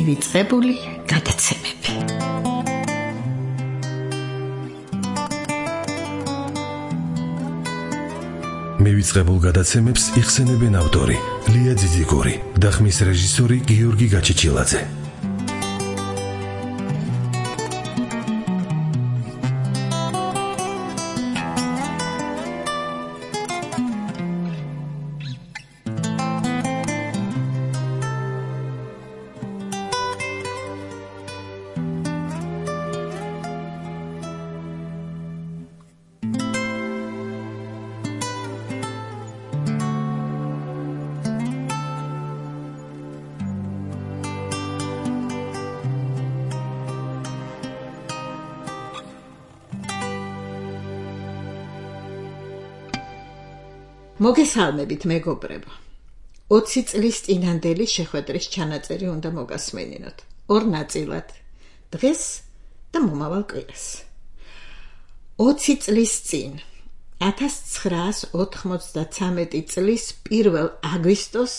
მივიწყებული გადაცემები. მივიწყებულ გადაცემებს იხსენებენ ავტორი ლია ძიძიგური და ხმის რეჟისორი გიორგი გაჩიჩილაძე. მოგესალმებით მეგობრებო. 20 წლის წინანდელი შეხვედრის ჩანაწერი უნდა მოგასმენინოთ. ორ ნაწილად. დღეს და მომავალ კვირას. 20 წლის წინ 1993 წლის 1 აგვისტოს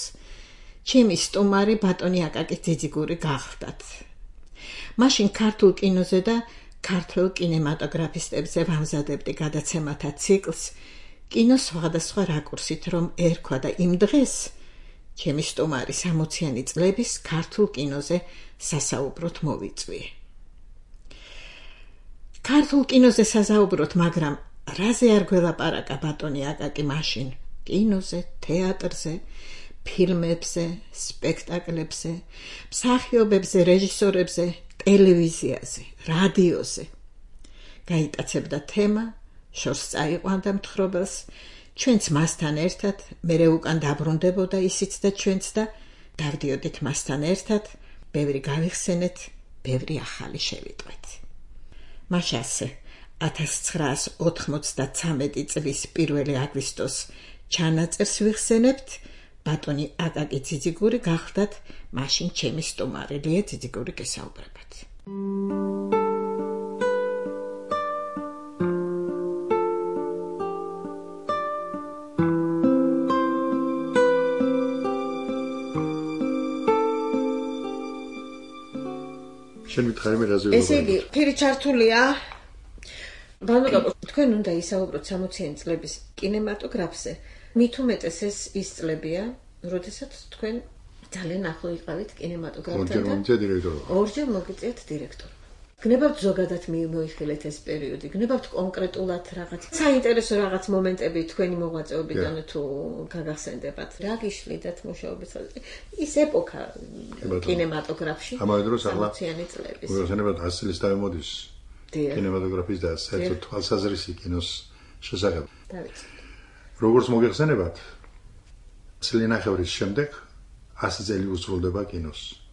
ჩემი სტუმარი ბატონი აკაკი ძიძიგური გახლდათ. მაშინ ქართულ კინოზე და ქართველ კინემატოგრაფისტებზე ვამზადებდი გადაცემათა ციკლს კინოს სხვადასხვა რაკურსით, რომ ერქვა და იმ დღეს ჩემი სტუმარი 60-იანი წლების ქართულ კინოზე სასაუბროთ მოვიწვიე. ქართულ კინოზე სასაუბროთ, მაგრამ რაზე არ გველაპარაკა ბატონი აკაკი მაშინ? კინოზე, თეატრზე, ფილმებზე, სპექტაკლებზე, მსახიობებზე, რეჟისორებზე, ტელევიზიაზე, რადიოზე. გაიტაცებდა თემა, შორს წაიყვანდა მთხრობელს, ჩვენც მასთან ერთად, მერე უკან დაბრუნდებოდა ისიც და ჩვენც და დავდიოდით მასთან ერთად, ბევრი გავიხსენეთ, ბევრი ახალი შევიტყვეთ. მაშ ასე 1993 წლის 1 აგვისტოს ჩანაწერს ვიხსენებთ, ბატონი აკაკი ძიძიგური გახლდათ, მაშინ ჩემი სტუმარი ლია ძიძიგური გესაუბრებათ. ესე იგი, ფერი ჩართულია. ბანაკო, თქვენ უნდა ისაუბროთ 60-იანი წლების კინემატოგრაფზე. მით უმეტეს ის წლებია, როდესაც თქვენ ძალიან ახლო იყავით კინემატოგრაფთან. ორჯერ მოგიწიეთ დირექტორობა. გნებავთ ზოგადად მოიხილეთ ეს პერიოდი, გნებავთ კონკრეტულად რაღაც საინტერესო რაღაც მომენტები თქვენი მოღვაწეობიდან თუ გაგახსენდებათ. რა გიშლიდათ მუშაობის ხაზი? ის ეპოქა კინემატოგრაფში. ამავე დროს ახლა 60-იანი წლების. მოგეხსენებათ 100 წლის დავემოდის კინემატოგრაფის და საერთოდ თვალსაზრისი კინოს შესახებ. როგორც მოგეხსენებათ, წლინახევრის შემდეგ 100 წელი უსრულდება კინოს.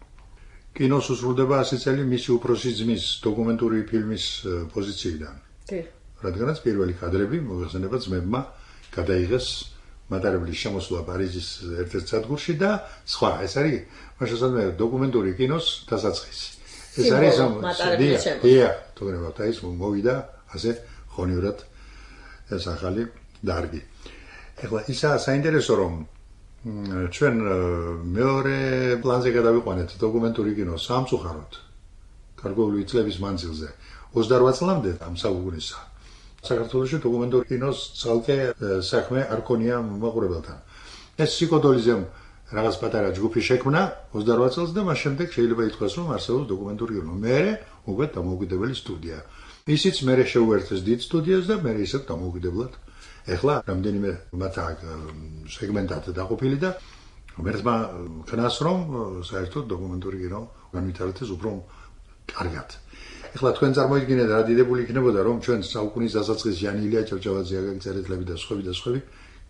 კინოს უსრულდება 100 წელი მისი უფროსი ძმის დოკუმენტური ფილმის პოზიციიდან. რადგანაც პირველი კადრები მოგეხსენებათ ძმებმა გადაიღეს მატარებლის შემოსვლა პარიზის ერთ-ერთ სადგურში და სხვა. ეს არის მაშასადმე დოკუმენტური კინოს დასაწყისი. ეს არის თქონებათ, ის მოვიდა ასე ხონივრად ეს ახალი დარგი. ეხლა ისა საინტერესო რომ ჩვენ მეორე პლანზე გადავიყვანეთ დოკუმენტური კინოს სამწუხაროდ გარკვეული წლების მანძილზე 28 წლამდე ამ საუკუნისა საქართველოში დოკუმენტური კინოს ცალკე საქმე არ ქონია მაყურებელთან. ეს სიკოდოლიზემ რაღაც პატარა ჯგუფი შექმნა 28 წელს და მას შემდეგ შეიძლება ითქვას რომ არსებობს დოკუმენტური კინო. მერე უკვე დამოუკიდებელი სტუდია. ისიც მერე შეუერთეს დიდ სტუდიას და მერე ისევ დამოუკიდებლად. ეხლა რამდენიმე მათ სეგმენტად დაყოფილი და ღმერთმა ქნას რომ საერთოდ დოკუმენტური კინო განვითარდეს უფრო კარგად. ეხლა თქვენ წარმოიდგინეთ რა დიდებული იქნებოდა რომ ჩვენ საუკუნის დასაწყისში ილია ჭავჭავაძე, აკაკი წერეთლები და სხვები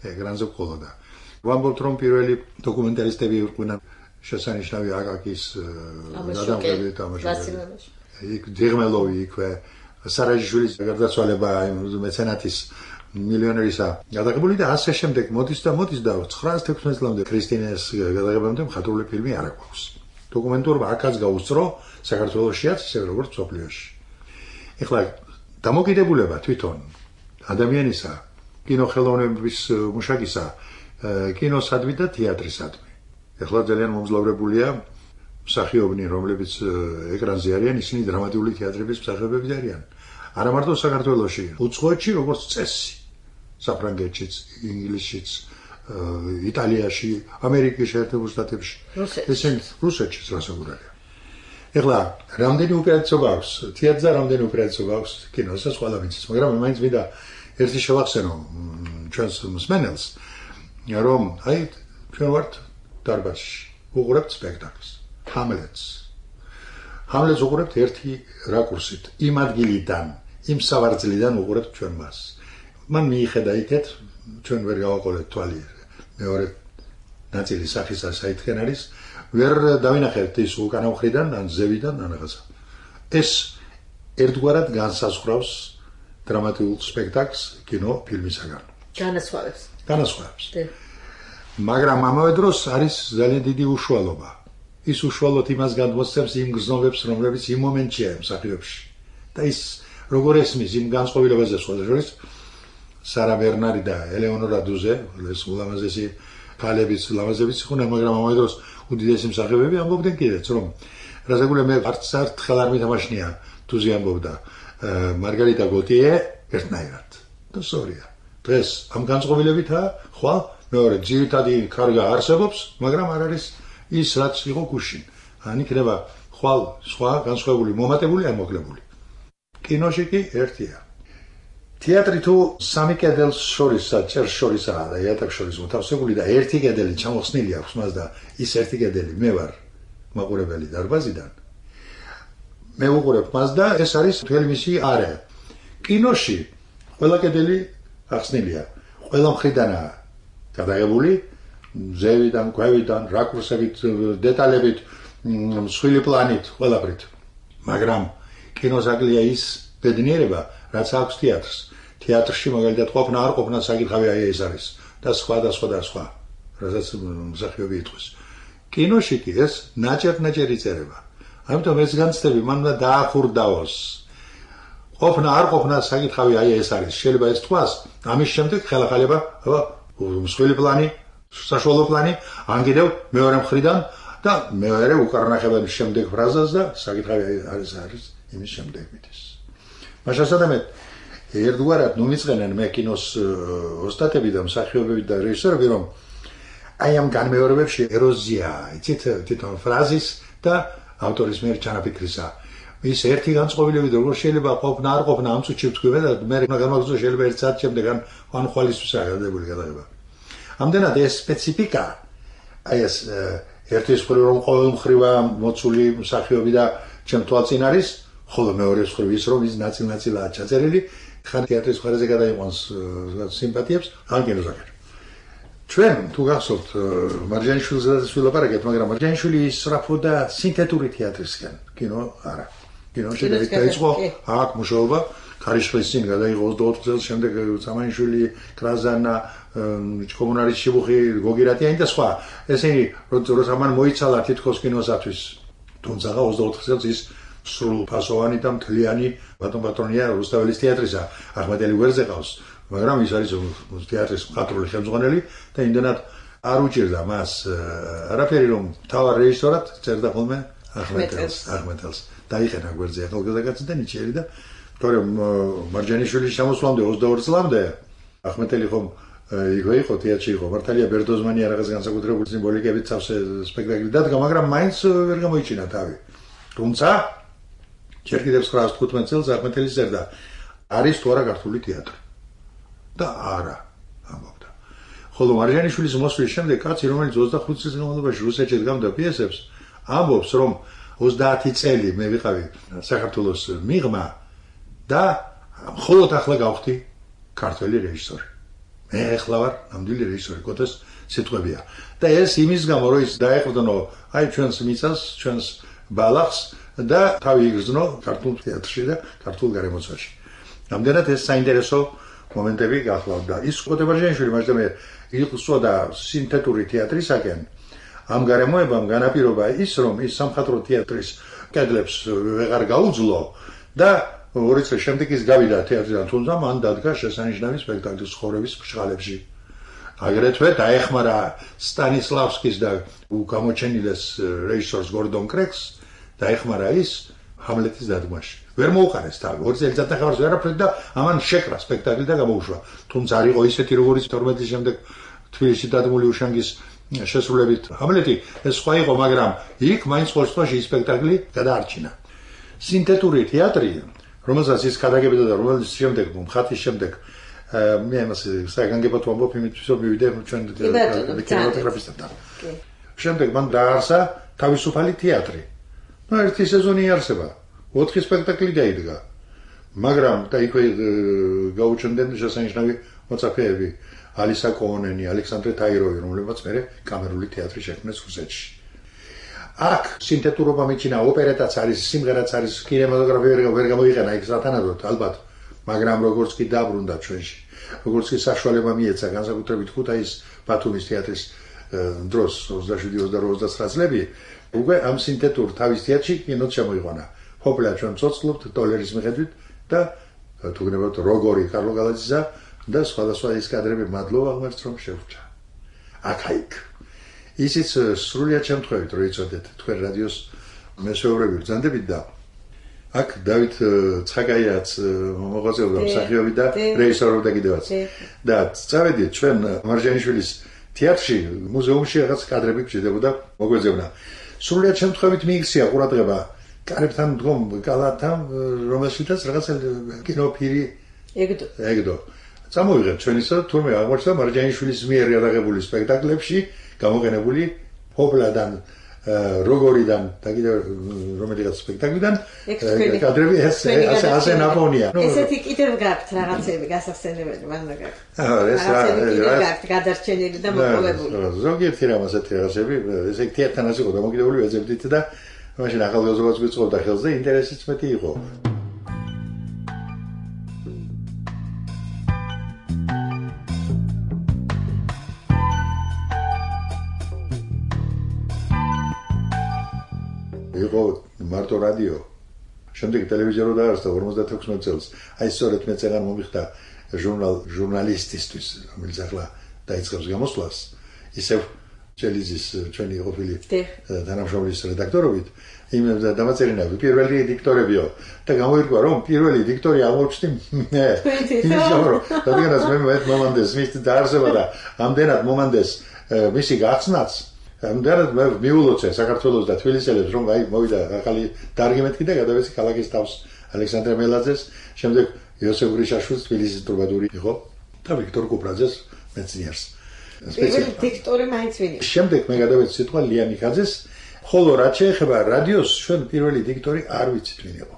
ეკრანზე ყოლოდა. ვამბობთ რომ პირველი დოკუმენტალისტები იყვნენ შესანიშნავი აკაკის გადამღები თამაშობები. იქ დიღმელოვი იქვე, სარაჯიშვილის გარდაცვალება, მეცენატის მილიონერისა გადაღებული და ასე შემდეგ მოდის და 916 წლამდე ქრისტინეს გადაღებამდე მხატვრული ფილმი არ აქვს. დოკუმენტურობა აქაც გაუსწრო საქართველოშიაც ისე როგორც მსოფლიოში. ეხლა დამოკიდებულება თვითონ ადამიანისა, კინოხელოვნების მუშაკისა, კინოსადმი და თეატრისადმი. ეხლა ძალიან მომძლავრებულია მსახიობნი, რომლებიც ეკრანზე არიან, ისინი დრამატიული თეატრების მსახიობები არიან. არა მარტო საქართველოში, უცხოეთში როგორც წესი, საფრანგეთშიც, ინგლისშიც, იტალიაში, ამერიკის შეერთებულ შტატებში. ესენი რუსეთშიც რასაკვირველია. ეხლა რამდენი უპირატესობა აქვს თეატრზე, რამდენი უპირატესობა აქვს კინოსაც, ყველა ვიცის, მაგრამ მაინც მინდა ერთი შევახსენო ჩვენს მსმენელს, რომ აი ჩვენ ვართ დარბაზში, უყურებთ სპექტაკლს, ჰამლეტს უყურებთ ერთი რაკურსით, იმ ადგილიდან, იმ სავარძლიდან უყურებთ ჩვენ მას. მან მიიხედა იქეთ, ჩვენ ვერ გავაყოლეთ თვალი მეორე ნაწილი სახისა საითქენ არის, ვერ დავინახეთ ის უკანა მხრიდან, ან ზევიდან, ან რაღაცა. ეს ერთგვარად განსაზღვრავს დრამატულ სპექტაკლს კინო ფილმისაგან. განასხვავებს. მაგრამ ამავე დროს არის ძალიან დიდი უშუალობა. ის უშუალოდ იმას გადმოსცემს იმ გრძნობებს, რომლებიც იმ მომენტშია მსახიობში. და ის როგორ ესმის იმ განწყობილებაზე სხვათა შორის სარა ბერნარი და ელეონორა დუზე, ეს ულამაზესი ქალებიც, ლამაზებიც იყვნენ, მაგრამ ამავე დროს უდიდესი მსახიობები ამბობდნენ კიდეც, რომ რასაკვირველია მე არც ერთხელ არ მითამაშნია დუზე ამბობდა მარგარიტა გოტიე ერთნაირად. და სწორია. დღეს ამ განწყობილებითაა, ხვალ მეორე ძირითადი კარგა არსებობს, მაგრამ არ არის ის რაც იყო გუშინ. ან იქნება ხვალ სხვა განსხვავებული მომატებული ან მოკლებული. კინოში კი ერთია. თეატრი თუ სამი კედელს შორის საჭერ შორისაა და იატაკს შორის მოთავსებული და ერთი კედელი ჩამოხსნილი აქვს მას და ის ერთი კედელი მე ვარ მაყურებელი დარბაზიდან. მე ვუყურებ მას და ეს არის მთელი მისი არე. კინოში ყველა კედელი ახსნილია. ყველა მხრიდანაა გადაღებული ზევიდან, ქვევიდან, რაკურსებით, დეტალებით, მსხვილი პლანით, ყველაფრით. მაგრამ კინოზაკლია ის ბედნიერება, რაც აქვს თეატრს. თეატრში მაგალითად ყოფნა არ ყოფნა საკითხავი აი ეს არის და სხვა და სხვა და სხვა, რასაც მსახიობი იტყვის. კინოში კი ეს ნაჭერ-ნაჭერი წერება. ამიტომ ეს განცდები მან უნდა დაახურდაოს. ყოფნა არ ყოფნა საკითხავი აი ეს არის. შეიძლება ეს თქვას, ამის შემდეგ ხელახალება, მსხვილი პლანი, საშუალო პლანი, ან კიდევ მეორე მხრიდან და მეორე უკარნახებადის შემდეგ ფრაზას და საკითხავი არის იმის შემდეგ მიდის. მაშასადამე ერთგვარად ნუ მიწენენ მე კინოს ოსტატები და მსახიობები და რეჟისორები, რომ აი ამ განმეორებებში ეროზია, იცით, თვითონ ფრაზის და ავტორის მიერ ჩანაფიქრისა. ის ერთი განწყობილებით როგორ შეიძლება ყოფნა არ ყოფნა ამ წუთში ვთქვი და მე გამაგზავნო შეიძლება 1 საათი შემდეგ ან ხვალისთვისაა გადაღებული გადაღება. ამდენად ეს სპეციფიკა, აი ეს ერთის მხრივ რომ ყოველ მხრივა მოცული მსახიობი და ჩემ თვალწინ არის, ხოლო მეორე მხრივ ის რომ ის ნაწილ-ნაწილაა ჩაწერილი, ხან თეატრის მხარეზე გადაიყვანს სიმპათიებს, ან კინოზაკერ. ჩვენ თუ გახსოვთ მარჯანიშვილზეც ვილაპარაკეთ, მაგრამ მარჯანიშვილი ისწრაფოდა სინთეტური თეატრისკენ, კინო არა. კინოში დაიწყო აქ მუშაობა, ქარიშხლის წინ გადაიღო 24 წელს, შემდეგ სამანიშვილი, კრაზანა, კომუნარის შიბუხი, გოგირატიანი და სხვა. ესენი როცა მან მოიცალა თითქოს კინოსათვის, თუმცა 24 წელს ის სრულ ფასოვანი და მთლიანი ბატონია რუსთაველის თეატრისა, ახმეტელი გვერდზე ყავს, მაგრამ ის არის თეატრის მხატვრული ხელმძღვანელი და იმდენად არ უჭირდა მას არაფერი, რომ თავარ რეჟისორად წერდა ხოლმე ახმეტელს. დაიხენა გვერდზე ახალგაზრდა და ნიჭიერი და თორემ მარჯანიშვილის ჩამოსვლამდე 22 წლამდე ახმეტელი ხომ იქვე იყო თეატრში იყო, მართალია ბერდოზმანია რაღაც განსაკუთრებული სიმბოლიკებით სავსე სპექტაკლი დადგა, მაგრამ მაინც ვერ გამოიჩინა თავი. თუმცა ჯერ კიდევ 1915 წელს ახმეტელი წერდა, არის თუ არა ქართული თეატრი. და არა, ამბობდა. ხოლო მარჯანიშვილის მოსვლის შემდეგ კაცი, რომელიც 25 წლის განმავლობაში რუსეთში დგამდა პიესებს, ამბობს, რომ 30 წელი მე ვიყავი საქართველოს მიღმა და მხოლოდ ახლა გავხდი ქართველი რეჟისორი. მე ახლა ვარ ნამდვილი რეჟისორი, კოთეს სიტყვებია. და ეს იმის გამო, რომ ის დაეყრდნო აი ჩვენს მიწას, ჩვენს ბალახს და თავი იგრძნო ქართულ თეატრში და ქართულ გარემოცვაში. ამდენად ეს საინტერესო მომენტები გახლავდა. ის კოტებარჯანიშვილი მასწავლე იყსოდა სინთეტური თეატრისაკენ. ამ გარემოებამ განაპირობა ის, რომ ის სამხატვრო თეატრის კედლებს ვეღარ გაუძლო და 2 წელი შემდეგ ის გავიდა თეატრიდან, თუმცა მან დადგა შესანიშნავი სპექტაკლის ხორების ფშხალებში. აგრეთვე დაეხმარა სტანისლავსკის და გამოჩენილეს რეჟისორს გორდონ კრეგს დაეხმარა ის ჰამლეტის დადგმაში. ვერ მოუყარეს თავი, 2 წელიწად ახარს ვერაფერი და ამან შეკრა სპექტაკლი და გამოუშვა. თუმცა არ იყო ისეთი როგორც 12 წლის შემდეგ თბილისში დადგმული უშანგის შესრულებით ჰამლეტი, ეს სხვა იყო, მაგრამ იქ მაინც ყოველ შემთხვევაში ის სპექტაკლი გადაარჩინა. სინთეტური თეატრი, რომელსაც ის გადაგებდა და რომელიც შემდეგ მხატის შემდეგ მე ამას საგანგებოდ ვამბობ იმისთვის რომ მივიდე ჩვენ კინემატოგრაფისტებთან. შემდეგ მან დაარსა თავისუფალი თეატრი. ერთი სეზონი იარსება, 4 სპექტაკლი დაიდგა. მაგრამ და იქვე გაუჩნდნენ შესანიშნავი მოწაფეები, ალისა კოონენი, ალექსანდრე თაიროვი, რომლებმაც მერე კამერული თეატრი შექმნეს რუსეთში. აქ სინთეტურობა მიჩინა, ოპერეტაც არის, სიმღერაც არის, კინემატოგრაფია ვერ გამოიყენა იქ სათანადოდ, ალბათ, მაგრამ როგორც კი დაბრუნდა ჩვენში, როგორც კი საშუალება მიეცა განსაკუთრებით ქუთაისის ბათუმის თეატრის დროს 27-29 წლები, უკვე ამ სინთეტურ თავის თეატრში კინოც შემოიყვანა. ჰოპლა ჩვენ ცოცხლობთ დოლარის მიხედვით და თუ გნებავთ როგორი კარლო გალაძისა და სხვადასხვა ის კადრები მადლობა ღმერთს რომ შევრჩა. აქ ისიც სრულიად შემთხვევით რომ იცოდეთ თქვენ რადიოს მესვეურები ბრძანდებით და აქ დავით ცხაკაიაც მოღვაწეობდა მსახიობი და რეჟისორობდა კიდევაც და წავედით ჩვენ მარჯანიშვილის თეატრში მუზეუმში რაღაც კადრები გჭირდებოდა მოგვეძებნა. სრულიად შემთხვევით მიიქცია ყურადღება კარებთან მდგომ კალათთან რომელშიც რაღაც კინოფირი ეგდო წამოვიღეთ ჩვენისა თურმე აღმოჩნდა მარჯანიშვილის მიერ გადაღებული სპექტაკლებში გამოყენებული ჰოპლადან როგორიდან და კიდევ რომელიღაც სპექტაკლიდან კადრები ასე ნაპოვნია. ესეთი კიდევ გაქვთ რაღაცები გასახსენებელი მანდა გაქვთ. ეს გაქვთ გადარჩენილი და მოპოვებული. ზოგიერთი რამ ასეთი რაღაცები ესე თეატრთან ასე იყო დამოკიდებული ვეძებდით და მაშინ ახალგაზრდობაც გვიწყობდა ხელს და ინტერესიც მეტი იყო. იყო მარტო რადიო. შემდეგ ტელევიზია რო დაარსდა 56 წელს. აი სწორედ მე წეგან მომიხდა ჟურნალისტისთვის, რომელიც ახლა დაიწყებს გამოსვლას. ისევ ჩელიზის ჩვენი ყოფილი თანამშრომლის რედაქტორობით იმ დამაწერინა პირველი დიქტორებიო და გამოირკვა რომ პირველი დიქტორი აღმოჩნდი მე. რადგანაც მე მომანდეს მის დაარსება და ამდენად მომანდეს მისი გახსნაც ამდენად მე მიულოცე საქართველოს და თბილისელებს რომ აი მოვიდა ახალი დარგი მეთქი და გადავეცი ქალაქის თავს ალექსანდრე მელაძეს, შემდეგ იოსებ გრიშაშვილს თბილისის ტრუბადური იყო და ვიქტორ კუპრაძეს მეცნიერს. პირველი დიქტორი მაინც ვინ იყო? შემდეგ მე გადავეცი სიტყვა ლია ნიკაძეს, ხოლო რაც შეეხება რადიოს, ჩვენ პირველი დიქტორი არ ვიცით ვინ იყო.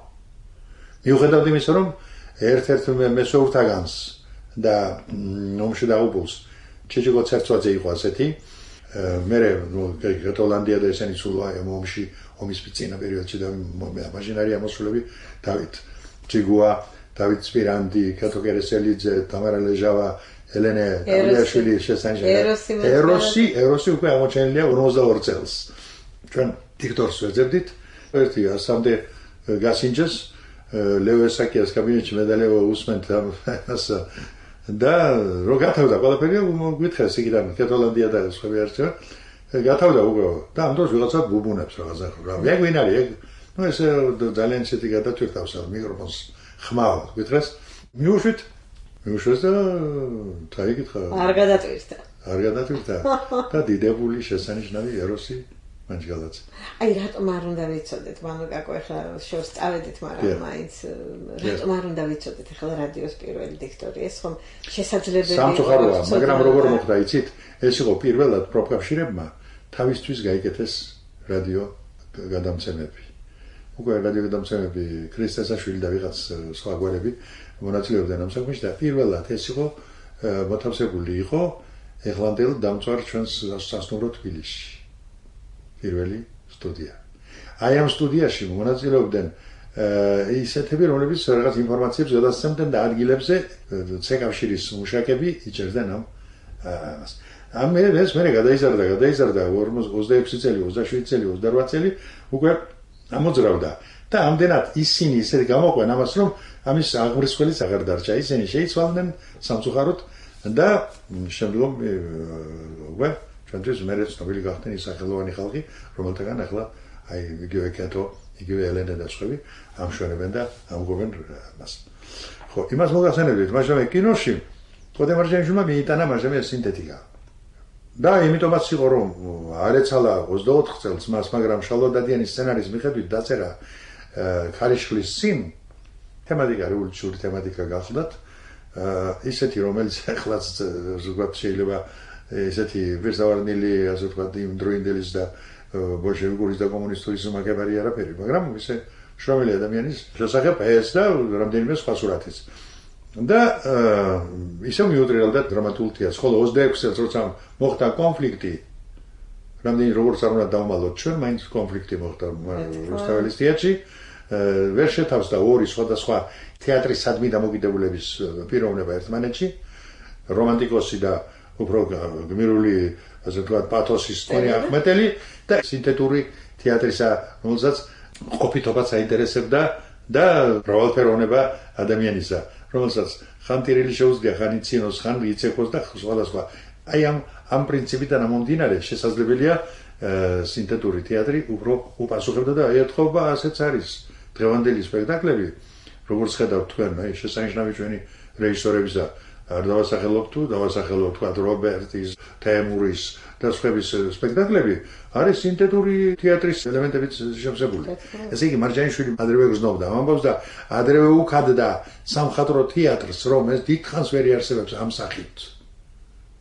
მიუხედავად იმისა, რომ ერთ-ერთ მესვეურთაგანს და ომში დაღუპულს ჩიჩიკო ცერცვაძე იყო ასეთი. მერე გრეტოლანდია და ესენი სულ ომში ომის წინა პერიოდში და მაშინ არის ამოსულები დავით ჯიგუა, დავით სპირანდი, კატო კერესელიძე, თამარა ლეჟავა, ელენე დავილაშვილი შესანიშნავი. ეროსი უკვე აღმოჩენილია 52 წელს. ჩვენ დიქტორს ვეძებდით, ერთი ასამდე გასინჯეს, ლევო ესაკიას კაბინეტში მედალევა უსმენთ ასა და რო გათავდა ყველაფერი გვითხრეს იქიდან კეთოლანდია და სხვები არჩევა გათავდა უკვე და ამ დროს ვიღაცა ბუბუნებს რაღაცა რა მე გვინ არის ეგ ნუ ესე ძალიან ისეთი გადათვირთავს მიკროფონს ხმავა გვითხრეს მიუშვეს და თაიგითხა არ გადათვირთა და დიდებული შესანიშნავი ეროსი მანჯგალაც. აი რატომ არ უნდა ვიცოდეთ, მანო კაკო ახლა შორს წავედით, მაგრამ მაინც რატომ არ უნდა ვიცოდეთ ახლა რადიოს პირველი დიქტორი, ეს ხომ შესაძლებელია. სამწუხაროა, მაგრამ როგორ მოხდა იცით, ეს იყო პირველად პროფკავშირებმა თავისთვის გაიკეთეს რადიო გადამცემები. უკვე რადიო გადამცემები ქრისტესაშვილი და ვიღაც სხვა გვერები მონაწილეობდნენ ამ საქმეში და პირველად ეს იყო მოთავსებული იყო ეხლანდელ დამწვარ ჩვენს სასტუმრო თბილისში. პირველი სტუდია. აი ამ სტუდიაში მონაწილეობდნენ ისეთები, რომლებიც რაღაც ინფორმაციებს გადასცემდნენ და ადგილებზე ცეკავშირის მუშაკები იჭერდნენ ამას. ეს მე გადაიზარდა 26 წელი, 27 წელი, 28 წელი უკვე ამოძრავდა და ამდენად ისინი ისეთ გამოყვენ ამას, რომ ამის აღმრისხველიც აღარ დარჩა. ისინი შეიცვალდნენ სამწუხაროდ და შემდგომ ჩვენთვის მერე ცნობილი გახდნენ ის სახელოვანი ხალხი, რომელთაგან ახლა აი იგივე კეთო, იგივე ელენე და სხვები ამშვენებენ და ამგობენ მას. ხო, იმას მოგახსენებდით, მაგრამ კინოში კოდე მარჯანიშვილმა მიიტანა მარჯამე სინთეტიკა. და იმიტომაც იყო რომ არ ეცალა 24 წელს მას, მაგრამ შალვა დადიანის სცენარის მიხედვით დაწერა ქარიშხლის წინ თემატიკა რევოლუციური თემატიკა გახლდათ. ისეთი რომელიც ახლაც ზოგადად შეიძლება ესეთი ვერსავარნილი ასე ვთქვათ იმ დროინდელის და ბოლშევიკური და კომუნისტური მაგებარი არაფერი, მაგრამ ისე შრომელი ადამიანის შესახებ ეს და რამდენიმე სხვა სურათიც. და ისე მიუტრიალდა დრამატურგიას, ხოლო 26 წელს როცა მოხდა კონფლიქტი, რამდენი როგორც არ უნდა დავმალოთ ჩვენ, მაინც კონფლიქტი მოხდა რუსთაველის თეატრში, ვერ შეთავსდა ორი სხვადასხვა თეატრის სადმი დამოკიდებულების პიროვნება ერთმანეთში, რომანტიკოსი და უფრო გმირული, ასე ვთქვათ, პათოსის თქონი აღმეტელი და სინთეტური თეატრისა, რომელსაც ყოფითობაც აინტერესებდა და მრავალფეროვნება ადამიანისა, რომელსაც ხან ტირილი შეუძლია, ხან იცინოს, ხან იცექოს და სხვადასხვა. აი ამ პრინციპიდან ამომდინარე შესაძლებელია სინთეტური თეატრი უფრო უპასუხებდა და ეთხოვა ასეც არის დღევანდელი სპექტაკლები, როგორც ხედავთ თქვენ, აი შესანიშნავი ჩვენი რეჟისორებისა არ დავასახელოთ თუ დავასახელოთ თქვა რობერტის, თემურის და სხვების სპექტაკლები არის სინთეტური თეატრის ელემენტებით შევსებული. ესე იგი მარჯანიშვილი ადრევე გრძნობდა ამბავს და ადრევე უქადდა სამხატვრო თეატრს, რომ ეს დიდხანს ვერ იარსებებს ამ სახით.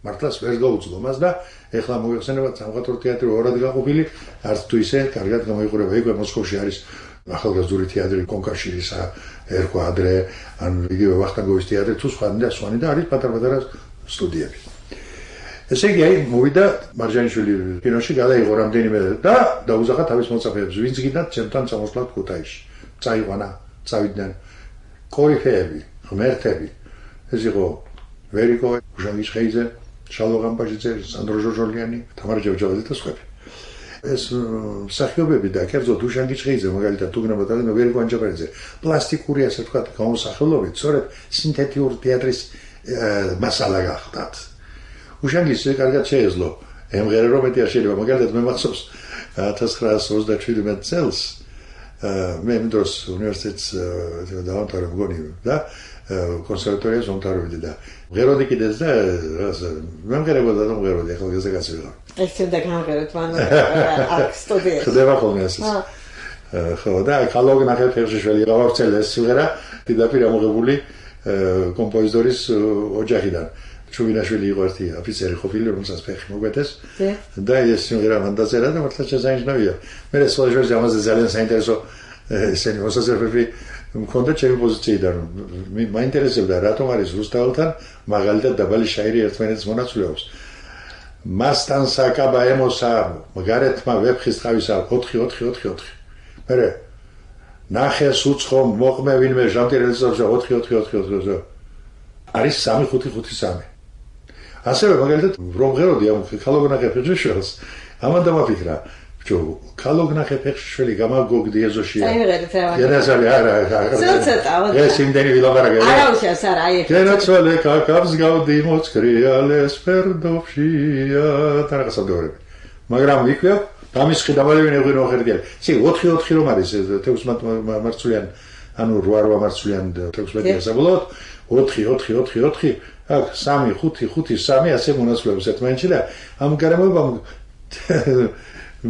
მართლაც ვერ გაუძლო მას და ეხლა მოიხსენებათ სამხატვრო თეატრი ორად გაყოფილი, არც თუ ისე კარგად გამოიყურება. იქვე მოსკოვში არის ახალგაზრდული თეატრი კონკაშირისა, ერქვა ადრე, ან იგივე ვახტანგოვის თეატრი თუ სხვანი და არის პატარ-პატარა სტუდიები. ესე იგი, აი მოვიდა მარჯანიშვილი კინოში, გადაიღო რამდენიმე და დაუზახა თავის მოწაფეებს, ვინც გინდათ ჩემთან წამოსვლათ ქუთაისში. წაიყვანა, წავიდნენ კორიფეები, ღმერთები. ეს იყო ვერიკო, ჟანგი შხეიძე, შალვა გამპაჟიძე, სანდრო ჟორჟოლიანი, თამარ ჯევჯავაძე და სხვები. ეს მსახიობები და კერძოდ უშანგი შხეიძე, მაგალითად უგნებოდ და ვერიკო ანჯაბარიძე, პლასტიკური ასე ვთქვათ გამოსახულობით, სწორედ სინთეტიური თეატრის მასალა გახდათ. უშანგის კარგად შეეძლო, ემღერა რომ მეტი არ შეიძლება, მაგალითად მე მახსოვს 1937 წელს მე იმ დროს უნივერსიტეტს დავამთავრე მგონი და კონსერვატორიას მომთავრებდი და მღეროდი კიდეც და მე მღერებოდა და მღეროდი, ახალგაზრდა კაცი ვიყავ. ექცენდა გამღეროთ მან აქ სტუდიაში. ხდება ხოლმე ასე. ხო და კალოგნახე ფერშიშველი გავავრცელეს სიმღერა დიდაპირ ამოღებული კომპოზიტორის ოჯახიდან. ჩუბინაშვილი იყო ერთი ოფიცერი ყოფილი, რომელსაც ფეხი მოგვედეს და ეს სიმღერა მან დაწერა და მართლა შესანიშნავია. მე სხვა ჟურნალში ამაზე ძალიან საინტერესო ესენი მოსაზრებები მქონდა ჩემი პოზიციიდან. მაინტერესებდა რატომ არის რუსთაველთან მაგალითად დაბალი შაირი ერთმანეთს მონაცვლეობს. მასთან საკაბა ემოსა მაგარეთმა ვეფხის თავისა 4-4-4-4. მერე ნახეს უცხო მოყმე ვინმე ჟამტირელის 4-4-4-4 არის 3-5-5-3. ასევე მაგალითად რომ ღეროდი ამ ქალოგნახე ფეხშიშველს ამან დამაფიქრა ჩო ქალოგნახე ფეხშიშველი გამაგოგდი ეზოშია ენასალი არა ეს იმდენი ვილაპარაკე არაუშავს არა აი გენაცვალე კაკავს გავდი მოწკრიალეს ფერდოფშია თანახასადორები მაგრამ იქვე დამისხი დამალევინე ღვინო ხერდიალი სი 4-4 რომ არის 16 მარცვლიან ანუ 8 მარცვლიან 16 საბოლოოდ 4-4-4-4 აქ 3-5-5-3 ასე მონაცვლეობს ერთმანეთში და ამ გარემოებამ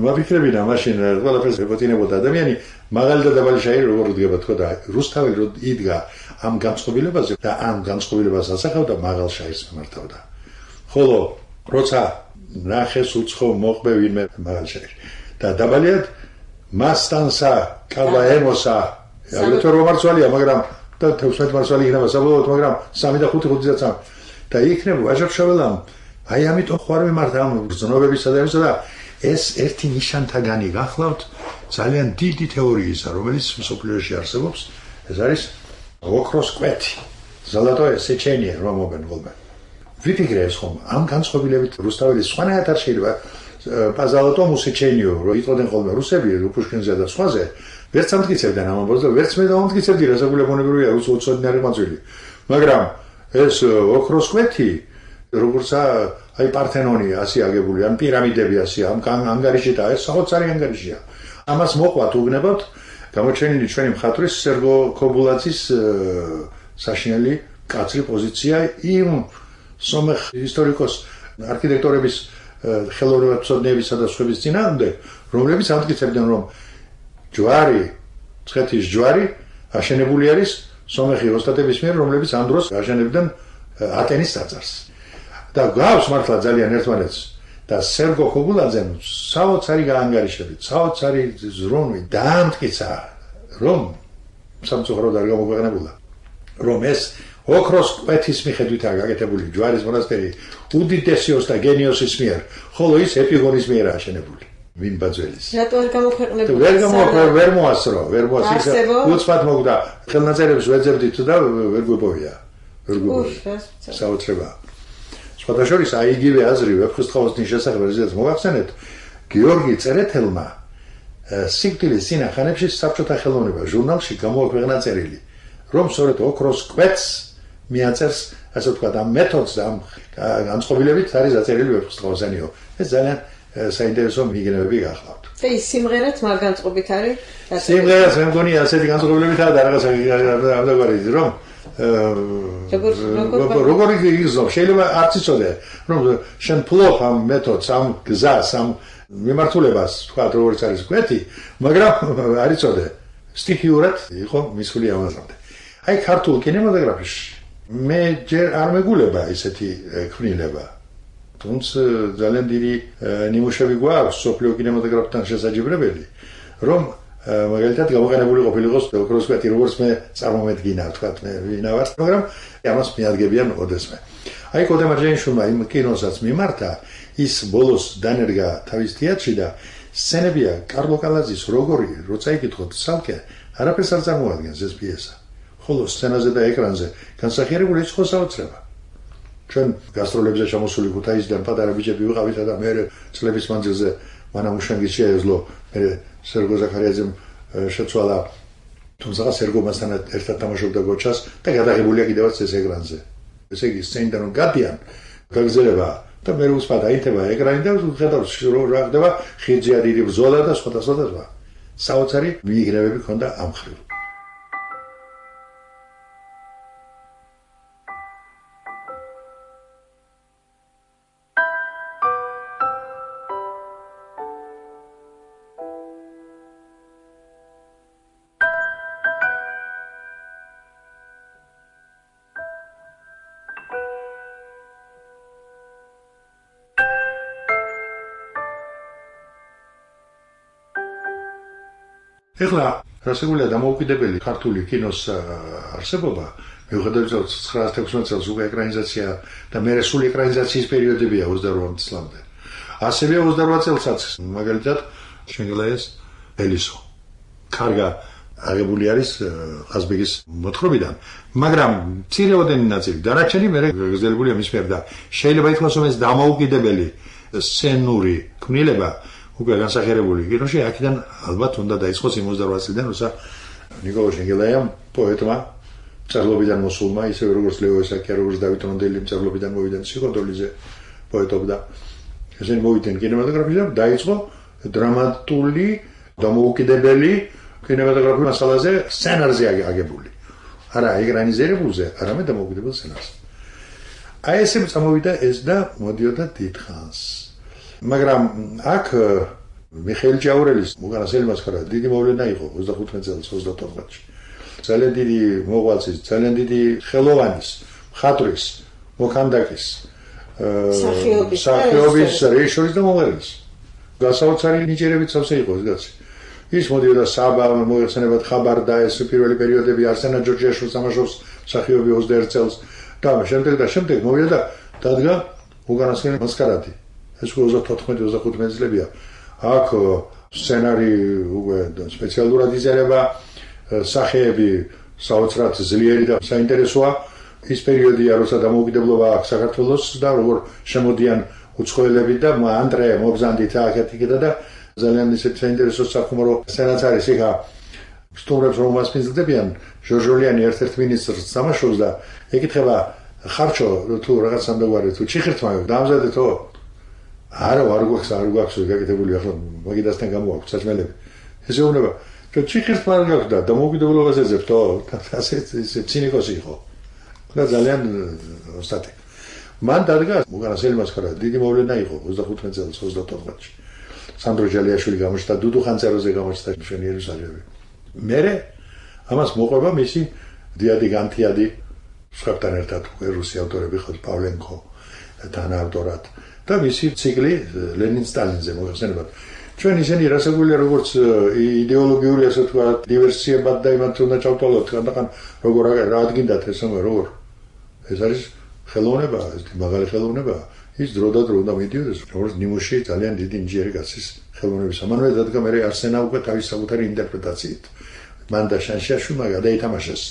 მაფიქრებინა მაშინ ყველაფერს ეპოთინებოდა ადამიანი მაგალითად დაბალი შაირი როგორ უდგება თქო და რუსთაველი რო იდგა ამ განწყობილებაზე და ამ განწყობილებას ასახავდა მაღალ შაირს მიმართავდა ხოლო როცა ნახეს უცხო მოყმე ვინმე მაღალ შაირი და დაბალიად მასტანსა კაბაემოსა აგრეთვე რომ მარცვალია მაგრამ და 16 მარცვალი იქნება საბოლოოდ მაგრამ 3 და 5-5-საც და იქნება ვაჟარშაველამ აი ამიტომ ხوار მიმართა ამ ბრძნობებისა და ესა და ეს ერთი ნიშანთაგანი გახლავთ ძალიან დიდი თეორიისა რომელიც მსოფლიოში არსებობს ეს არის ოქროს კვეთი ზოლოტოე სეჩენიე რომ მოგენ ხოლმე ვიფიქრე ეს ხომ ამ განწყობილებით რუსთაველის სხვანაირად არ შეიძლება პაზალოტო მუსეჩენიო რო იტყოდნენ ხოლმე რუსები პუშკინზე და სხვაზე ვერც ამტკიცებდნენ ამ ამბავს და ვერც მე დავამტკიცებდი რა საკულებონებრივია უცოდნარი მაძვილი მაგრამ ეს ოქროს კვეთი როგორცა აი პართენონი ასე აგებული, ან პირამიდები ასე, ამ ანგარიში და ეს საოცარი ანგარიშია. ამას მოყვათ უგნებავთ გამოჩენილი ჩვენი მხატვრის სერგო ქობულაძის საშინელი კაცრი პოზიცია იმ სომეხ ისტორიკოს არქიტექტორების ხელოვნებაცოდნეებისა და სხვების წინააღმდეგ, რომლებიც ამტკიცებდნენ, რომ ჯვარი, ცხეთის ჯვარი აშენებული არის სომეხი ოსტატების მიერ, რომლებიც ამ დროს აშენებდნენ ატენის ტაძარს. და გავს მართლა ძალიან ერთმანეთს და სერგო ქობულაძემ საოცარი გაანგარიშებით, საოცარი ზრუნვით დაამტკიცა, რომ სამწუხაროდ არ გამოგვეყნებულა, რომ ეს ოქროს კვეთის მიხედვითაა გაკეთებული ჯვარის მონასტერი უდიდესი ოსტა გენიოსის მიერ, ხოლო ის ეპიგონის მიერ აშენებული. ვინ ბაძველის? რატო არ გამოქვეყნებულა? ვერ მოასწრო, ვერ მოასწრო. უცბად მოგდა. ხელნაწერებს ვეძებდით და ვერ გვიპოვია. ვერ გვიპოვია. საოცრება. სხვადასხვა აი იგივე აზრი ვეფხისტყაოსნის შესახებ რაზეც მოგახსენეთ, გიორგი წერეთელმა სიკვდილის წინახანებში საბჭოთა ხელოვნება ჟურნალში გამოაქვეყნა წერილი, რომ სწორედ ოქროს კვეთს მიაწერს, ასე ვთქვათ, ამ მეთოდს და ამ განწყობილებით არის დაწერილი ვეფხისტყაოსანიო. ეს ძალიან საინტერესო მიგნებები გახლავთ. და ის სიმღერაც მაგ განწყობით არის? სიმღერაც მე მგონი ასეთი განწყობილებითაა და რაღაცა ამდაგარი რომ როგორ იგრძნო, შეიძლება არც იცოდე, რომ შენ ფლობ ამ მეთოდს, ამ გზას, ამ მიმართულებას, თქვა როგორც არის კვეთი, მაგრამ არ იცოდე, სტიქიურად იყო მისული ამაზამდე. აი ქართულ კინემატოგრაფში მე ჯერ არ მეგულება ესეთი ქმნილება. თუმცა ძალიან დიდი ნიმუშები გვაქვს სოფლიო კინემატოგრაფთან შესაძლებელი, რომ მაგალითად გამოყენებული ყოფილიყოს ოქროს კვეთი, როგორც მე წარმომედგინა, თქვა მე ვინავარ, მაგრამ ამას მიადგებიან ოდესმე. აი კოდემა ჯენიშვილმა იმ კინოსაც მიმართა, ის ბოლოს დანერგა თავის თეატრში და სცენებია კარლო კალაძის როგორი, როცა იკითხოთ ცალკე, არაფერს არ წარმოადგენს ეს პიესა. ხოლო სცენაზე და ეკრანზე განსახიერებული ის ხო საოცრება. ჩვენ გასტროლებზე ჩამოსული ქუთაისიდან პატარა ბიჭები ვიყავით და მე წლების მანძილზე მანამ უშანგის შეეძლო მე სერგო ზაქარიაძემ შეცვალა, თუმცა სერგო მასთან ერთად თამაშობდა გოჩას და გადაღებულია კიდევაც ეს ეკრანზე. ესე იგი სცენიდან რომ გადიან, გაგზელება და მე უსმად აითება ეკრანი და ხედავს რომ რა ხდება, ხიძია დიდი ბრძოლა და სხვა. საოცარი მიიგრევები ქონდა ამ ხრივ. ეხლა რასაკურველია დამოუკიდებელი ქართული კინოს არსებობა, მიუხედავად 1916 წელს უკვე ეკრანიზაცია და მერე სული ეკრანიზაციის პერიოდებია 28 წლამდე. ასევე 28 წელსაც მაგალითად შენგელაიას ელისო კარგა აღებული არის ყაზბეგის მოთხრობიდან, მაგრამ მცირეოდენი ნაწილი დანარჩენი მერე გაგრძელებულია მის მიერ და შეიძლება ითქვას, რომ ეს დამოუკიდებელი სცენური ქმნილება უკვე განსახიერებული კინოში აქედან ალბათ უნდა დაიწყოს 28 წლიდან, როცა ნიკოლო შენგელაიამ პოეტმა მწერლობიდან მოსულმა, ისევე როგორც ლეო ესაკია, როგორც დავით რონდელი მწერლობიდან მოვიდა სიკონდოლიზე პოეტობდა. ესენი მოვიდნენ კინემატოგრაფში და დაიწყო დრამატული დამოუკიდებელი კინემატოგრაფიული მასალაზე სცენარზე აგებული. არა ეკრანიზირებულზე, არამედ დამოუკიდებელ სცენარზე. აი ესე წამოვიდა ეს და მოდიოდა დიდხანს. მაგრამ აქ მიხეილ ჭაურელის უკანასელი მასხარა დიდი მოვლენა იყო 25 წელს 34-ში. ძალიან დიდი მოღვაწის, ძალიან დიდი ხელოვანის, მხატვრის, მოქანდაკის, მსახიობის რეჟისორის და მომღერლის. გასაოცარი ნიჭიერებით სავსე იყო ეს კაცი. ის მოდიოდა საბა, მოიხსენებათ ხაბარ და ეს პირველი პერიოდები არსენა ჯორჯიაშვილს თამაშობს მსახიობი 21 წელს და შემდეგ მოვიდა და დადგა უკანასკნელი მასკარადი. ეს 34-35 წლებია. აქ სცენარი უკვე სპეციალურად იზარება, სახეები საოცრად ძლიერი და საინტერესოა. ის პერიოდია, როცა დამოუკიდებლობა აქვს საქართველოს და როგორ შემოდიან უცხოელები და ანდრე მობზანდით აქეთ-იქეთა და ძალიან ისეთი საინტერესო სახუმარო სცენაც არის. იქა სტუმრებს რომ მასპინძლდებიან, ჟორჟოლიანი ერთ-ერთ მინისტრს თამაშობს და ეკითხება ხარჩო თუ რაღაც სამდაგვარი თუ ჭიხირთმა დამზადეთო არა არ გვაქვს გაკეთებული ახლა მაგიდასთან გამოაქვს საჭმელები ესე უნდა თუ ჭიხირთმა არ გაქვს და დამოუკიდებლობას ეძებთო ასე ცინიკოსი იყო და ძალიან ოსტატი მან დადგა მოგანასელი მასკარა დიდი მოვლენა იყო 25 წელს 34-ში სანდრო ჯალიაშვილი გამოჩნდა დუდუ ხანძაროზე გამოჩნდა მშვენიერი საჯები მერე ამას მოყვება მისი დიადი განთიადი სხვებთან ერთად რუსი ავტორები ხო პავლენკო თანაავტორად და მისი ციკლი ლენინ სტალინზე მოიხსენებათ ჩვენ ისინი რასაკვირველია როგორც იდეოლოგიური ასე თქვა დივერსიებად და იმათ უნდა ჩავთვალოთ ხანდახან როგორ რა ადგინდათ ესა როგორ ეს არის ხელოვნება ეს მაგალი ხელოვნება ის დრო და დრო უნდა მიდიოდეს როგორც ნიმუში ძალიან დიდი ინჟინერი კაცის ხელოვნების ამანვე დადგა მე არსენა უკვე თავის საკუთარი ინტერპრეტაციით მან და შანშიაშვილმა გადაითამაშეს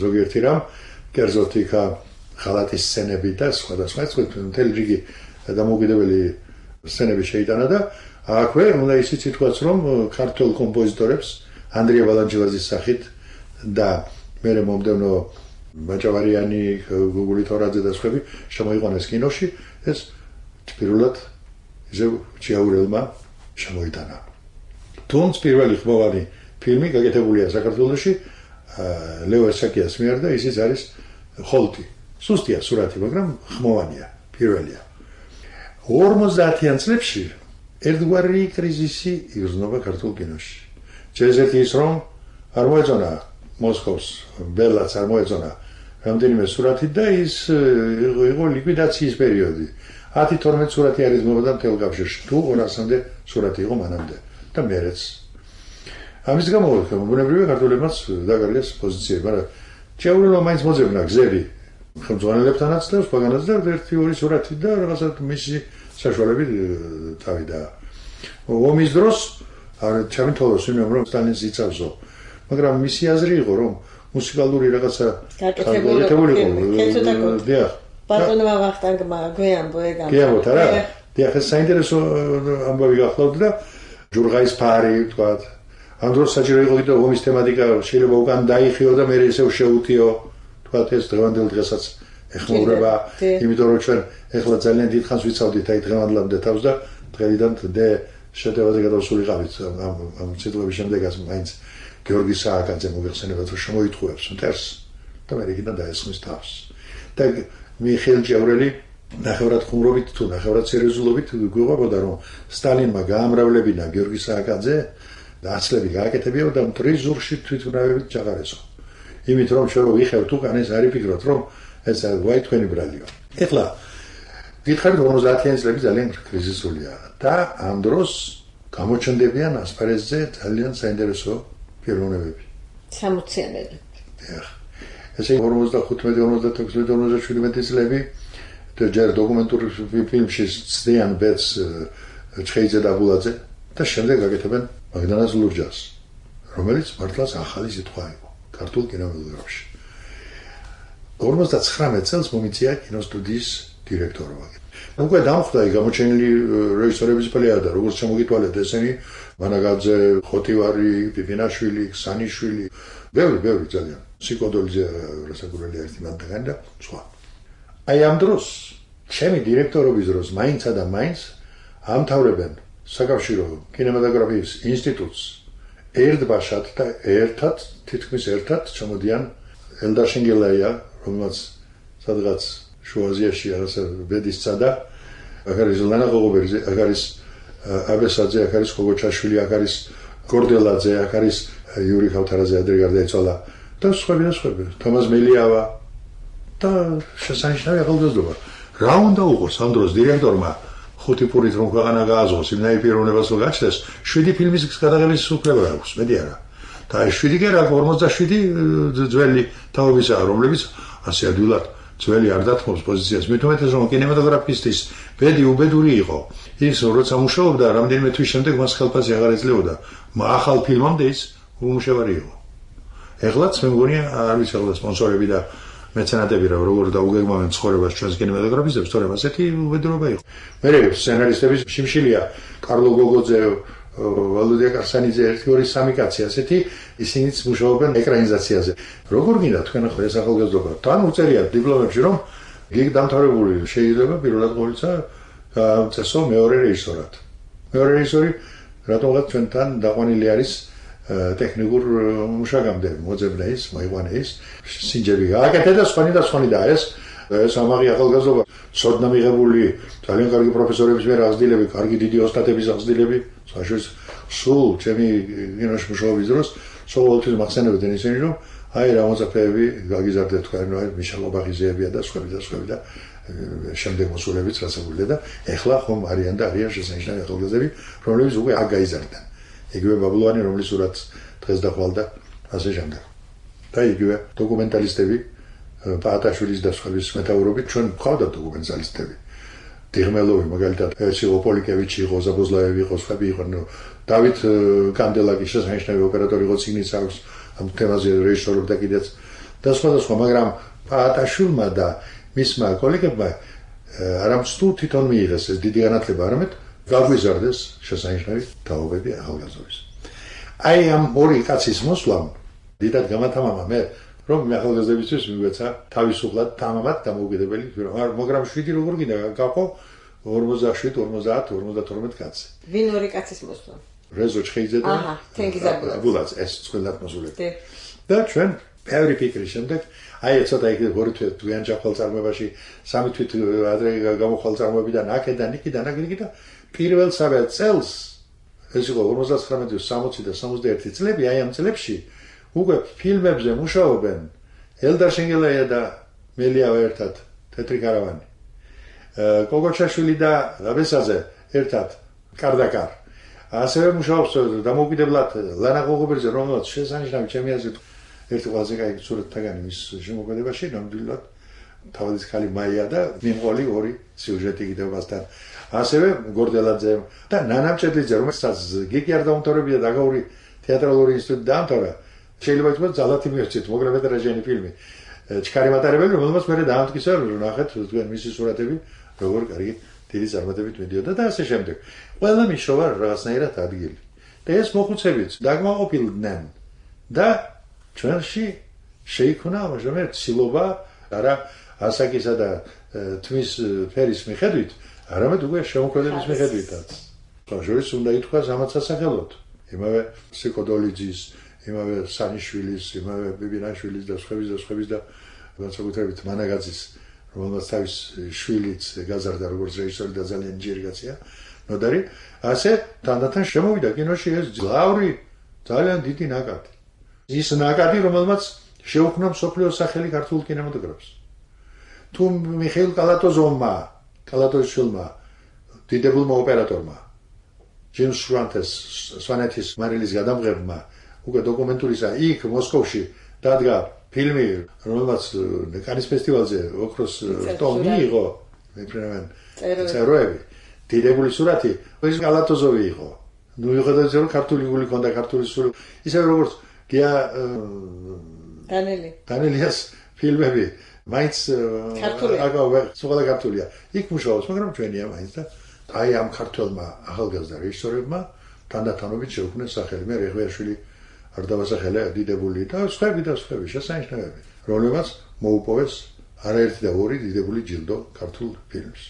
ზოგიერთი რამ კერძოდ იქა ხალატის სცენები და სხვადასხვა მთელი რიგი დამოუკიდებელი სცენები შეიტანა და აქვე უნდა ისიც ითქვას რომ ქართულ კომპოზიტორებს ანდრია ბალანჩივაძის სახით და მერე მომდევნო მაჭავარიანი გუგული თორაძე და სხვები შემოიყვანეს კინოში ეს პირველად ისე ჭიაურელმა შემოიტანა თუნდაც პირველი ხმოვანი ფილმი გაკეთებულია საქართველოში ლეო ესაკიას მიერ და ისიც არის ხოლტი სუსტია სურათი მაგრამ ხმოვანია პირველია 50-იან წლებში ერთგვარი კრიზისი იგრძნობა ქართულ კინოში შეიძლება ის რომ არ მოეწონა მოსკოვს ბელაც არ მოეწონა რამდენიმე სურათი და ის იყო ლიკვიდაციის პერიოდი 10-12 სურათი არის მოვიდა მთელ კავშირში თუ 200-მდე სურათი იყო მანამდე და მერეც ამის გამო ბუნებრივია ქართულებმაც დაგარგეს პოზიციები მაგრამ ჭიაურელმა მაინც მოძებნა გზები ხელმძღვანელებთანაც და სხვაგანაც და ერთი-ორი სურათი და რაღაცა მისი საშუალებით თავიდა ომის დროს არ ჩამეთვალოს იმ რომ სტალინს იცავსო მაგრამ მისი აზრი იყო რომ მუსიკალური რაღაცა გაკეთებული იყო დიახ ბატონმა ვახტანგმა გვეამბო ეგ გიამბოთ არა დიახ ეს საინტერესო ამბავი გახლავთ და ჯურღაის ფარი ვთქვათ ამ დროს საჭირო იყო კიდევ ომის თემატიკა შეიძლება უკან დაიხიო და მე ისევ შეუთიო თქვათ ეს დღევანდელ დღესაც ეხმაურება იმიტომ რომ ჩვენ ეხლა ძალიან დიდ ხანს ვიცავდით აი დღევანდლამდე თავს და დღეიდან დე შეტევაზე გადავსულიყავით ამ ციტლების შემდეგაც მაინც გიორგი სააკაძე მოგეხსენებათ რომ შემოითხოვებს მტერს და მე იქიდან დაესხმის თავს და მიხეილ ჭიაურელი ნახევრად ხუმრობით თუ ნახევრად სერიოზულობით გვიყვებოდა რომ სტალინმა გაამრავლებინა გიორგი სააკაძე და აცლები გააკეთებიო და მტრის ზურგში თვითმფრინავებით ჩაყარესო იმით რომ ჩვენ ვიხევთ უკან ეს არის ფიქრობთ რომ ეს ვაი თქვენი ბრალიო ეხლა გითხარით 50-იან წლები ძალიან კრიზისულია და ამ დროს გამოჩნდებიან ასპარეზზე ძალიან საინტერესო პიროვნებები 60-იანები ესე 55-56-57 წლები ჯერ დოკუმენტური ფილმში ცდიან ბეთს ჩხეიძე და ბულაძე და შემდეგ გაკეთებენ მაგდანას ლურჯას რომელიც მართლაც ახალი სიტყვა იყო ქართულ კინემატოგრაფში 59 წელს მომიწია კინოსტუდიის დირექტორობა უკვე დამხვდა გამოჩენილი რეჟისორების პლეიადა როგორც შემოგითვალეთ ესენი მანაგაძე ხოტივარი პიპინაშვილი ქსანიშვილი ბევრი ძალიან სიკოდოლიძე რასაკვირველია ერთი მანდაგანი და სხვა აი ამ დროს ჩემი დირექტორობის დროს მაინცა და მაინც ამთავრებენ საკავშირო კინემატოგრაფიის ინსტიტუტს ერთბაშად და ერთად თითქმის ერთად ჩამოდიან ელდარ შინგელაია რომელსაც სადღაც შუა აზიაში რაღაცა ბედისცა და აქ არის ლანა ღოღობერძე აქ არის აბესაძე აქ არის ხოგოჩაშვილი აქ არის გორდელაძე აქ არის იური ხავთარაძე ადრე გარდაეცვალა და სხვები თომას მელიავა და შესანიშნავი ახალგაზრდობა რა უნდა უყოს ამ დროს დირექტორმა 5 პურით რომ ქვეყანა გააზღოს იმნაირ პიროვნებას რომ გაჩნდეს 7 ფილმის გადაღების უფლება აქვს მეტი არა და ეს 7 კი არა 47 ძველი თაობისაა რომლებიც ასე ადვილად ძველი არ დათმობს პოზიციას მით უმეტეს რომ კინემატოგრაფისტის ბედი უბედური იყო ის როცა მუშაობდა რამდენიმე თვის შემდეგ მას ხელფასი აღარ ეძლეოდა ახალ ფილმამდე ის უმუშევარი იყო ეხლაც მე მგონია არ ვიცი ახლა სპონსორები და მეცენატები რა როგორ დაუგეგმავენ ცხოვრებას ჩვენს კინემატოგრაფისტებს თორემ ასეთი უბედურობა იყო მე სცენარისტების შიმშილია კარლო გოგოძე ვალოდია კარსანიძე 1-2-3 კაცი ასეთი ისინიც მუშაობენ ეკრანიზაციაზე როგორ გინდა თქვენ ახლა ეს ახალგაზრდობა თან უწერიათ დიპლომებში რომ გიგ დამთავრებული შეიძლება პირველად ყოველისა წესო მეორე რეჟისორად. მეორე რეჟისორი რატომღაც ჩვენთან დაყვანილი არის ტექნიკურ მუშაკამდე მოძებნა ის, მოიყვანა ის სინჯები გააკეთა და სხვანი და ეს სამაღი ახალგაზრდა სოდნა მიღებული ძალიან კარგი პროფესორების მიერ აღზრდილები, კარგი დიდი ოსტატების აღზრდილები, საშუალო სულ ჩემი გინოში მუშაობის დროს ყოველთვის მახსენებდნენ ისინი რომ აი რა მოწაფეები გაგიზარდეთ თქვენ რომ მიშელ ობაღიზეებია და სხვები და შემდეგ მოსულებიც რასაკვირია და ეხლა ხომ არიან შესანიშნავი ახალგაზრდები რომლებიც უკვე აქ გაიზარდნენ იგივე ბაბლოვანი რომლის სურათს დღეს დახვალდა ასე შემდეგ და იგივე დოკუმენტალისტები პაატაშვილის და სხვების მეტაურობით ჩვენ ვყავდა დოკუმენტალისტები დიღმელოვი მაგალითად ერჩილო პოლიკევიჩი იყო ზაბოზლაევი იყო სხვები იყვნენ დავით კანდელაკი შესანიშნავი ოპერატორი იყო წიგნიც აქვს ამ თემაზე რეჟისორობდა კიდეც და სხვა მაგრამ პაატაშვილმა და მისმა კოლეგებმა არამსტუ თვითონ მიიღეს ეს დიდი განათლება არამედ გაგვიზარდეს შესანიშნავი თაობები ახალგაზრდობის აი ამ ორი კაცის მოსვლამ დიდად გამათამამა მე რომ ახალგაზრდებისთვის მიგვეცა თავისუფლად თამამად დამოუკიდებელი მაგრამ 7 როგორ გინდა გაყო 47 50 52 კაცი ვინ ორი კაცის მოსვლა რეზო ჩხეიძე და აბულაც ეს წყვილად მოსულები და ჩვენ ბევრი ფიქრის შემდეგ აი ცოტა იქ ორი თვიან ჯახვალ წარმოებაში სამი თვით ადრე გამოხვალ წარმოებიდან აქედან იქიდან და პირველ საბერ წელს ეს იყო 59-60 და 61 წლები აი ამ წლებში უკვე ფილმებზე მუშაობენ ელდარ შენგელაია და მელიავა ერთად თეთრი კარავანი კოგოჩაშვილი და რაბესაძე ერთად კარდაკარ ასევე მუშაობს დამოუკიდებლად ლანა ყოღობერზე რომელსაც შესანიშნავი ჩემი აზრით ერთი ყველაზე კაი სურათთაგანი მის შემოქმედებაში ნამდვილად თავის ხალი მაია და მიმყოლი ორი სიუჟეტი კიდევასთან ასევე გორდელაძე და ნანამჭედლიძე რომელსაც გიგი არ დაუმთავრებია დაგაური თეატრალური ინსტიტუტი დაამთავრა შეიძლება ითქვას ძალათი მიეცეთ მოგრებეთ რაჟენი ფილმი ჩქარი მატარებელი რომელმაც მე დაამტკიცა ნახეთ თქვენ მისი სურათები როგორ კარგი დიდი წარმატებით მიდიოდა და ასე შემდეგ ყველა მიშოვა რაღაცნაირად ადგილი და ეს მოხუცებიც დაგმაყოფილდნენ და ჩვენში შეიქმნა ამჟამად ცილობა არა ასაკისა და თმის ფერის მიხედვით არამედ უკვე შემოქმედების მიხედვითაც ხაშორის უნდა ითქვას ამაც ასახელოთ იმავე სიკოდოლიძის იმავე სანიშვილის იმავე ბიბინაშვილის და სხვების და განსაკუთრებით მანაგაძის რომელმაც თავის შვილიც გაზარდა როგორც რეჟისორი და ძალიან ჯერი კაცია ნოდარი ასე თანდათან შემოვიდა კინოში ეს გლავრი ძალიან დიდი ნაკადი ის ნაკადი რომელმაც შეუქმნა მსოფლიოს სახელი ქართულ კინემატოგრაფს თუ მიხეილ კალატოზოვმა კალატოზიშვილმა დიდებულმა ოპერატორმა ჯეიმს სვანეთის მარილის გადამღებმა უკვე დოკუმენტურისა იქ მოსკოვში დადგა ფილმი რომელმაც კანის ფესტივალზე ოქროს ტომი მიიღო მეფრენავენ წეროები დიდებული სურათი ეს კალატოზოვი იყო ნუ იხედავთ რომ ქართული გული ქონდა ქართული სული ისე როგორც გია დანელიას ფილმები მაინც სულ ქართულია იქ მუშაობს მაგრამ ჩვენია მაინც და აი ამ ქართველმა ახალგაზრდა რეჟისორებმა თანდათანობით შეუქმნეს სახელი მე რეღვიაშვილი არ დავასახელე დიდებული და სხვები შესანიშნავები რომლებმაც მოუპოვეს არაერთი და ორი დიდებული ჯილდო ქართულ ფილმს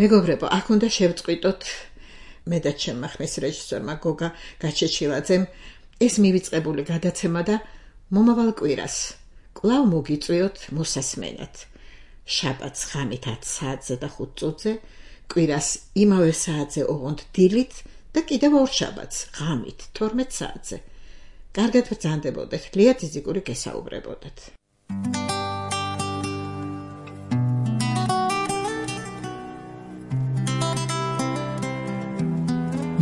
მეგობრებო, აქ უნდა შევწყვიტოთ მე და ჩემმა ხმის რეჟისორმა გოგა გაჩეჩილაძემ ეს მივიწყებული გადაცემა და მომავალ კვირას კვლავ მოგიწვიოთ მოსასმენად. შაბათს ღამით 10 საათზე და 5 წუთზე, კვირას იმავე საათზე ოღონდ დილით და კიდევ ორ შაბათს ღამით 12 საათზე. კარგად ბრძანდებოდეთ, ლია ძიძიკური გესაუბრებოდეთ.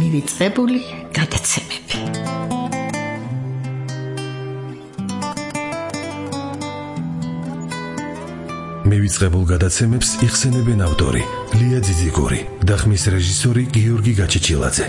მივიწყებული გადაცემები. მივიწყებულ გადაცემებს იხსენებენ ავტორი ლია ძიძიგური და ხმის რეჟისორი გიორგი გაჩეჩილაძე.